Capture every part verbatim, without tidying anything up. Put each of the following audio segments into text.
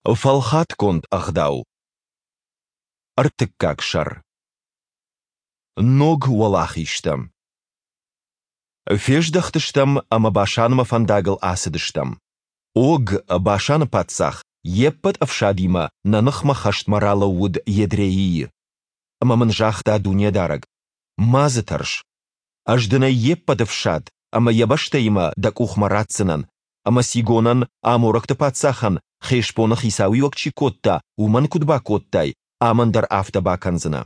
Фӕлхатгонд ӕгъдау. Ӕртыккаг сӕр. Ног уӕлахизтӕ. Фездӕхтыстӕм ӕмӕ Башанмӕ фӕндагыл ацыдыстӕм. Ог, Башаны паддзах, йе ппӕт ӕфсадимӕ нӕ ныхмӕ хӕстмӕ ралӕууыд Едреийы. Ӕмӕ мын загъта Дунедарӕг, Ма дзы тӕрс. Ӕз дын ӕй йе ппӕт ӕфсад ӕмӕ йӕ бӕстӕимӕ дӕ къухмӕ ратдзынӕн, ӕмӕ Сигонӕн, аморӕгты паддзахӕн, Хешбоны хицауиуӕг чи кодта, уымӕн куыд бакодтай, амӕн дӕр афтӕ бакӕндзынӕ.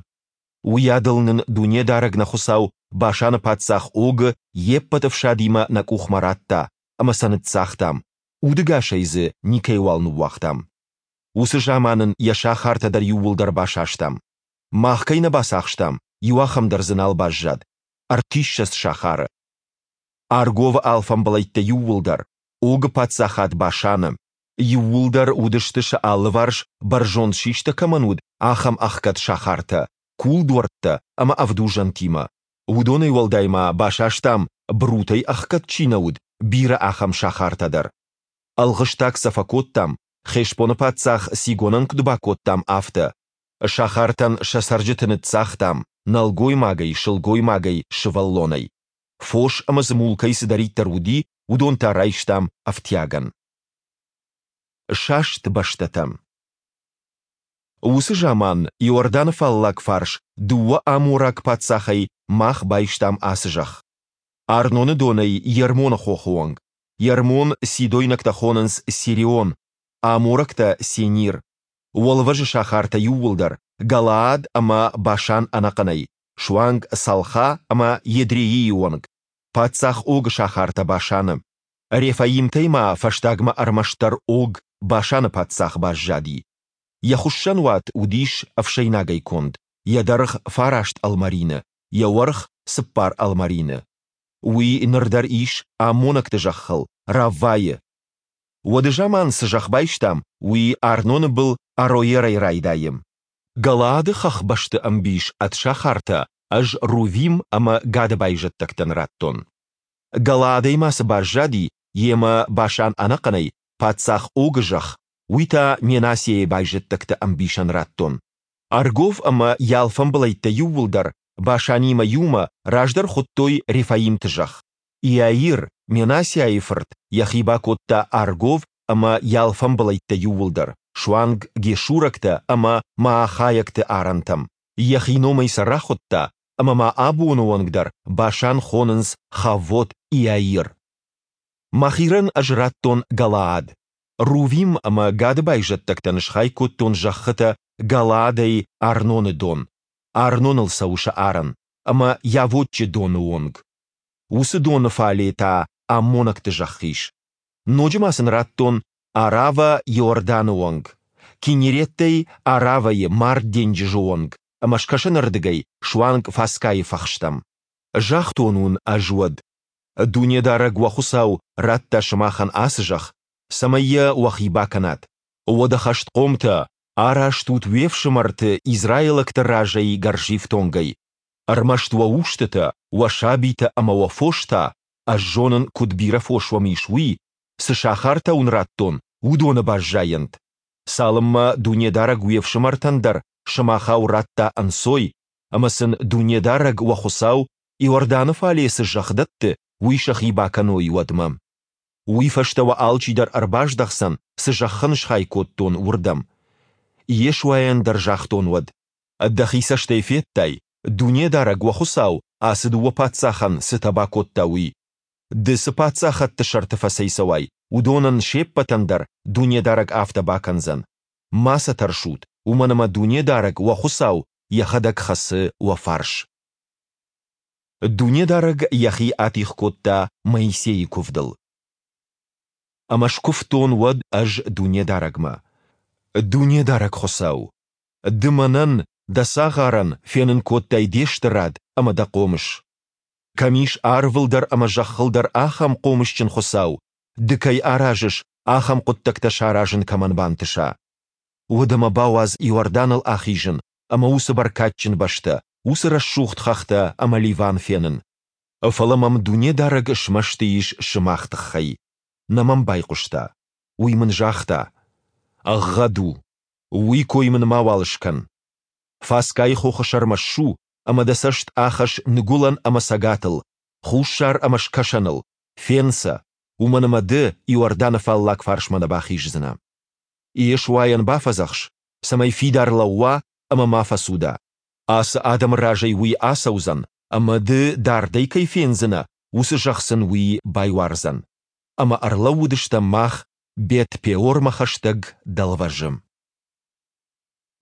Уыйадыл нын Дунедарӕг нӕ Хуыцау Башаны паддзах Огы йе ппӕт ӕфсадимӕ нӕ къухмӕ радта, ӕмӕ сӕ ныццагътам, удӕгасӕй дзы никӕйуал ныууагътам. Уыцы заман ын йӕ сахартӕ дӕр иууылдӕр басастам. Мах кӕй нӕ бацахстам, иу ахӕм дӕр дзы нал баззад, ӕртиссӕдз сахары. Арговы алфамбылӕйттӕ иууылдӕр, Огы паддзахад Башаны. Иууылдӕр уыдысты сӕ алыварс бӕрзонд систӕ кӕмӕн уыд, ахӕм ӕхгӕд сахартӕ, кулдуӕрттӕ ӕмӕ ӕвдузӕнтимӕ. Уыдонӕй уӕлдай ма басастам, брутӕй ӕхгӕд чи нӕ уыд, бирӕ ахӕм сахартӕ дӕр. Ӕлгъыстаг сӕ фӕкодтам, Хешбоны паддзах Сигонӕн куыд бакодтам, афтӕ. Сахартӕн сӕ цӕрджыты ныццагътам, нӕлгоймагӕй, сылгоймагӕй, сывӕллонӕй. Фос ӕмӕ дзы мулкӕй цыдӕриддӕр уыди, уыдон та райстам ӕфтиагӕн. Саст бӕстӕтӕ. Уыцы заман Иорданы фаллаг фарс дыууӕ амораг паддзахӕй мах байстам ацы зӕхх. Арноны донӕй Ермоны хохы онг. Ермон сидойнӕгтӕ хонынц Сирион, аморӕгтӕ Сенир. Уӕлвӕзы сахартӕ иууылдӕр, Галаад ӕмӕ Башан ӕнӕхъӕнӕй, суанг Салха ӕмӕ Едреийы онг, паддзах Огы сахартӕ Башаны. Рефаимтӕй ма фӕстагмӕ ӕрмӕстдӕр Ог, Башаны паддзах, баззади. Йӕ хуыссӕнуат уыдис ӕфсӕйнагӕй конд, йӕ дӕргъ фараст ӕлмӕрины, йӕ уӕрх цыппар ӕлмӕрины. Уый ныр дӕр ис аммонӕгты зӕххыл, Раввӕйы. Уӕды заман цы зӕхх байстам, уый Арноны был Ароерӕй райдайы. Галаады хӕхбӕсты ӕмбис ӕд сахартӕ ӕз Рувим ӕмӕ Гады байзӕддӕгтӕн радтон. Галаадӕй ма цы баззади, йемӕ Башан ӕнӕхъӕнӕй, паддзах Огы зӕхх, уый та Менассиайы байзӕддӕгты ӕмбисӕн радтон. Аргов ӕмӕ йӕ алфамбылӕйттӕ иууылдӕр, Башанимӕ иумӕ, раздӕр хуыдтой Рефаимты зӕхх. Иаир, Менассиайы фырт, йӕхи бакодта Аргов ӕмӕ йӕ алфамбылӕйттӕ иууылдӕр, суанг гешурӕгтӕ ӕмӕ маахайӕгты арӕнтӕм. Йӕхи номӕй сӕ рахуыдта, ӕмӕ ма абоны онг дӕр Башан хонынц Хаввот-Иаир. Махирӕн ӕз радтон Галаад. Рувим ӕмӕ Гады байзӕддӕгтӕн схай кодтон зӕххытӕ Галаадӕй Арноны дон, Арноныл цӕуы сӕ арӕн, ӕмӕ Йавоччы доны онг. Уыцы доны фале та аммонӕгты зӕхх ис. Ноджы ма сын радтон Аравӕ Иорданы онг, Киннереттӕй Аравӕйы Мард денджызы онг ӕмӕ скӕсӕнырдыгӕй суанг Фаскайы фӕхстӕм. Загътон уын ӕз уӕд: Дунедарӕг уӕ Хуыцау радта сымахӕн ацы зӕхх, цӕмӕй йӕ уӕхи бакӕнат. Уӕдӕ хӕстхъомтӕ, араст ут уе фсымӕрты израилӕгты разӕй гӕрзифтонгӕй. Ӕрмӕст уӕ устытӕ, уӕ сабитӕ ӕмӕ уӕ фос та, ӕз зонын, куыд бирӕ фос уӕм ис, уый, цы сахартӕ уын радтон, уыдоны баззайӕнт. Цалынмӕ Дунедарӕг уе фсымӕртӕн дӕр сымахау радта ӕнцой, ӕмӕ сын Дунедарӕг, уӕ Хуыцау, Иорданы фале цы зӕхх дӕтты, уый сӕхи бакӕной, уӕдмӕ. Уый фӕстӕ уӕ алчидӕр ӕрбаздӕхдзӕн, цы зӕхх ын схай кодтон, уырдӕм. Йешуайӕн дӕр загътон уӕд: Дӕхи цӕстӕй федтай, Дунедарӕг, уӕ Хуыцау, ацы дыууӕ паддзахӕн цытӕ бакодта, уый. Ды цы паддзахӕдты сӕрты фӕцӕйцӕуай, уыдонӕн се ппӕтӕн дӕр Дунедарӕг афтӕ бакӕндзӕн. Ма сӕ тӕрсут, уымӕн ӕмӕ Дунедарӕг, уӕ Хуыцау, Йӕхӕдӕг хӕцы уӕ фарс. Дунедарӕг Йӕхи атигъ кодта Моисейы куывдыл. Ӕмӕ скуывтон уӕд ӕз Дунедарӕгмӕ: Дунедарӕг Хуыцау! Ды мӕнӕн, Дӕ цагъарӕн, фенын кодтай Де стырад ӕмӕ Дӕ хъомыс. Кӕм ис арвыл дӕр ӕмӕ зӕххыл дӕр ахӕм хъомысджын Хуыцау, Ды кӕй аразыс, ахӕм хъуыддӕгтӕ саразын кӕмӕн бантыса? Уӕдӕ мӕ бауадз Иорданыл ахизын ӕмӕ уыцы бӕркадджын бӕстӕ, уыцы рӕсугъд хӕхтӕ ӕмӕ Ливан фенын. Фӕлӕ мӕм Дунедарӕг смӕсты ис сымах тыххӕй, нӕ мӕм байхъуыста. Уый мын загъта: Ӕгъгъӕд у! Уый кой мын мауал скӕн! Фасгайы хохы сӕрмӕ ссу ӕмӕ дӕ цӕст ахӕсс ныгуылӕн ӕмӕ цӕгатыл, хуссар ӕмӕ скӕсӕныл, фен сӕ, уымӕн ӕмӕ ды Иорданы фаллаг фарсмӕ нӕ бахиздзынӕ. Йешуайӕн бафӕдзӕхс, цӕмӕй фидар лӕууа ӕмӕ ма фӕцуда. Ацы адӕмы разӕй уый ацӕудзӕн, ӕмӕ ды дардӕй кӕй фендзынӕ, уыцы зӕхх сын уый байуардзӕн. Ӕмӕ ӕрлӕууыдыстӕм мах Бет-Пеормӕ хӕстӕг дӕлвӕзы.